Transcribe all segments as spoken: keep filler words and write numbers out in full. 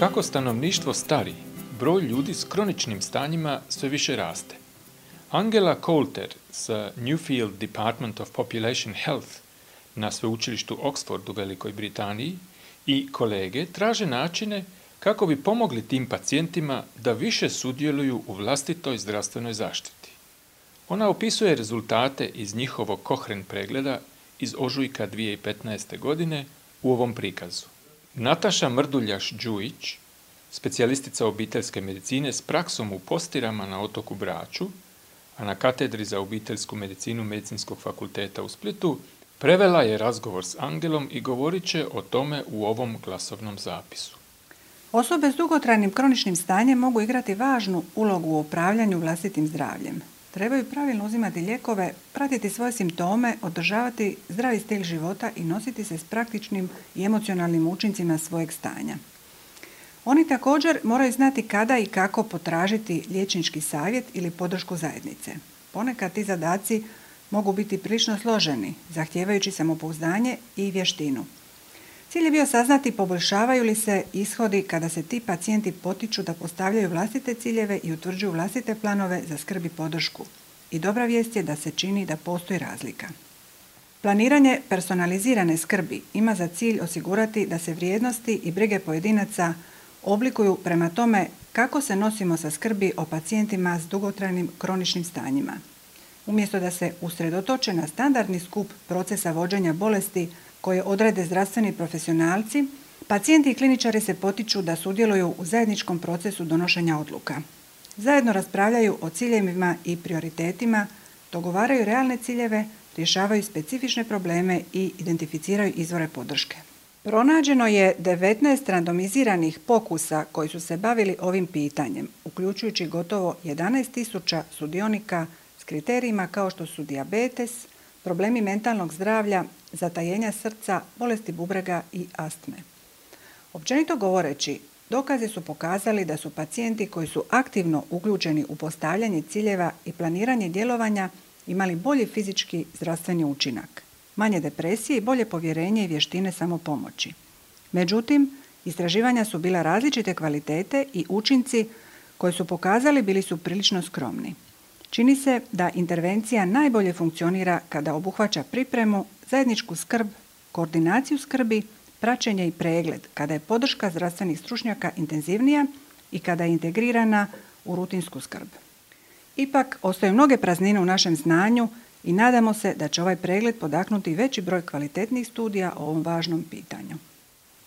Kako stanovništvo stari, broj ljudi s kroničnim stanjima sve više raste. Angela Coulter sa Newfield Department of Population Health na sveučilištu Oxford u Velikoj Britaniji i kolege traže načine kako bi pomogli tim pacijentima da više sudjeluju u vlastitoj zdravstvenoj zaštiti. Ona opisuje rezultate iz njihovog Cochrane pregleda iz ožujka dvije tisuće petnaeste. godine u ovom prikazu. Nataša Mrduljaš-Đujić, specijalistica obiteljske medicine s praksom u Postirama na otoku Braču, a na katedri za obiteljsku medicinu Medicinskog fakulteta u Splitu, prevela je razgovor s Angelom i govorit će o tome u ovom glasovnom zapisu. Osobe s dugotrajnim kroničnim stanjem mogu igrati važnu ulogu u upravljanju vlastitim zdravljem. Trebaju pravilno uzimati lijekove, pratiti svoje simptome, održavati zdravi stil života i nositi se s praktičnim i emocionalnim učincima svojeg stanja. Oni također moraju znati kada i kako potražiti liječnički savjet ili podršku zajednice. Ponekad ti zadaci mogu biti prilično složeni, zahtijevajući samopouzdanje i vještinu. Cilj je bio saznati poboljšavaju li se ishodi kada se ti pacijenti potiču da postavljaju vlastite ciljeve i utvrđuju vlastite planove za skrb i podršku. I dobra vijest je da se čini da postoji razlika. Planiranje personalizirane skrbi ima za cilj osigurati da se vrijednosti i brige pojedinaca oblikuju prema tome kako se nosimo sa skrbi o pacijentima s dugotrajnim kroničnim stanjima. Umjesto da se usredotoče na standardni skup procesa vođenja bolesti koje odrede zdravstveni profesionalci, pacijenti i kliničari se potiču da sudjeluju u zajedničkom procesu donošenja odluka. Zajedno raspravljaju o ciljevima i prioritetima, dogovaraju realne ciljeve, rješavaju specifične probleme i identificiraju izvore podrške. Pronađeno je devetnaest randomiziranih pokusa koji su se bavili ovim pitanjem, uključujući gotovo jedanaest tisuća sudionika s kriterijima kao što su dijabetes, problemi mentalnog zdravlja, zatajenja srca, bolesti bubrega i astme. Općenito govoreći, dokazi su pokazali da su pacijenti koji su aktivno uključeni u postavljanje ciljeva i planiranje djelovanja imali bolji fizički zdravstveni učinak, manje depresije i bolje povjerenje i vještine samopomoći. Međutim, istraživanja su bila različite kvalitete i učinci koji su pokazali bili su prilično skromni. Čini se da intervencija najbolje funkcionira kada obuhvaća pripremu, zajedničku skrb, koordinaciju skrbi, praćenje i pregled, kada je podrška zdravstvenih stručnjaka intenzivnija i kada je integrirana u rutinsku skrb. Ipak, ostaju mnoge praznine u našem znanju i nadamo se da će ovaj pregled podaknuti veći broj kvalitetnih studija o ovom važnom pitanju.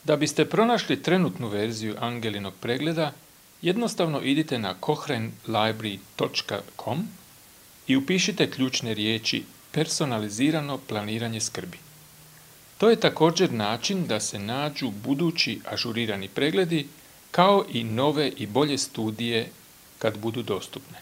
Da biste pronašli trenutnu verziju Angelinog pregleda, jednostavno idite na cochrane library točka com i upišite ključne riječi personalizirano planiranje skrbi. To je također način da se nađu budući ažurirani pregledi kao i nove i bolje studije kad budu dostupne.